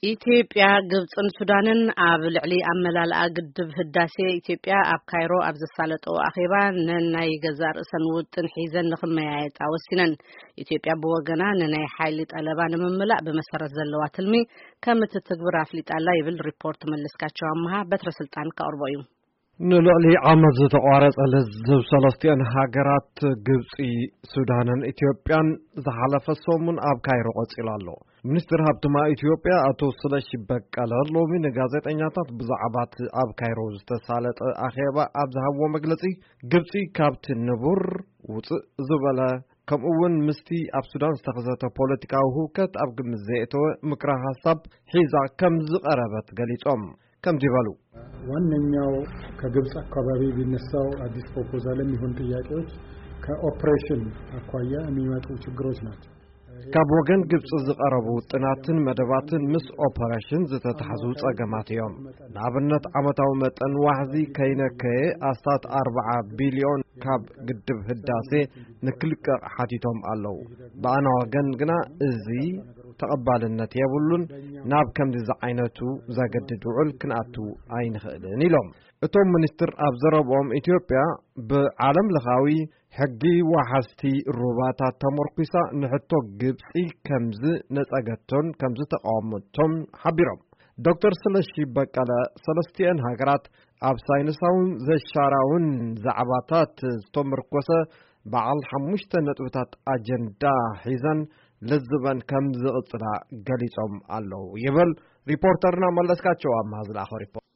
ኢትዮጵያ፣ ግብፅን ሱዳንን ኣብ ልዕሊ ኣመላልኣ ግድብ ህዳሴ ኢትዮጵያ ኣብ ካይሮ ኣብ ዘሳለጠኦ ኣኼባ ነናይ ገዛእ ርእሰን ውጥን ሒዘን ንክመያየጣ ወሲነን። ኢትዮጵያ ብወገና ንናይ ሓይሊ ጠለባ ንምምላእ ብመሰረት ዘለዋ ትልሚ ከም እትትግብር ኣፍሊጣ ኣላ ይብል ሪፖርት መለስካቸው ኣመሃ። በትረ ስልጣን ከቕርቦ እዩ። ንልዕሊ ዓመት ዝተቋረጸ ልዝብ ሰለስቲአን ሃገራት ግብጺ፣ ሱዳንን ኢትዮጵያን ዝሓለፈ ሰሙን ኣብ ካይሮ ቀጺሉ ኣሎ። ሚኒስትር ሃብቲ ማይ ኢትዮጵያ ኣቶ ስለሺ በቀለ ሎሚ ንጋዜጠኛታት ብዛዕባ እቲ ኣብ ካይሮ ዝተሳለጠ ኣኼባ ኣብ ዝሃብዎ መግለጺ፣ ግብጺ ካብቲ ንቡር ውጽእ ዝበለ፣ ከምኡ እውን ምስቲ ኣብ ሱዳን ዝተኸሰተ ፖለቲካዊ ህውከት ኣብ ግምት ዘየእተወ ምክረ ሓሳብ ሒዛ ከም ዝቐረበት ገሊጾም። ከምዚ በሉ። ዋነኛው ከግብፅ አካባቢ ቢነሳው አዲስ ፕሮፖዛል የሚሆን ጥያቄዎች ከኦፕሬሽን አኳያ የሚመጡ ችግሮች ናቸው። ካብ ወገን ግብፂ ዝቐረቡ ውጥናትን መደባትን ምስ ኦፐሬሽን ዝተታሕዙ ጸገማት እዮም። ንኣብነት፣ ዓመታዊ መጠን ዋሕዚ ከይነከየ ኣስታት ኣርብዓ ቢልዮን ካብ ግድብ ህዳሴ ንክልቀቕ ሓቲቶም ኣለዉ። ብኣና ወገን ግና እዚ ተቐባልነት የብሉን። ናብ ከምዚ ዝዓይነቱ ዘገድድ ውዕል ክንኣቱ ኣይንኽእልን ኢሎም። እቶም ሚኒስትር ኣብ ዘረብኦም፣ ኢትዮጵያ ብዓለም ለኻዊ ሕጊ ወሓዝቲ ሩባታት ተመርኲሳ ንሕቶ ግብጺ ከምዚ ነጸገቶን ከምዚ ተቃወመቶን ሓቢሮም። ዶክተር ስለሺ በቀለ፣ ሰለስቲአን ሃገራት ኣብ ሳይንሳውን ዘሻራውን ዛዕባታት ዝተመርኮሰ በዓል ሓሙሽተ ነጥብታት ኣጀንዳ ሒዘን ልዝበን ከም ዝቕጽላ ገሊጾም ኣለዉ ይብል ሪፖርተርና መለስካቸው ኣምሃ ዝለኣኸ ሪፖርት።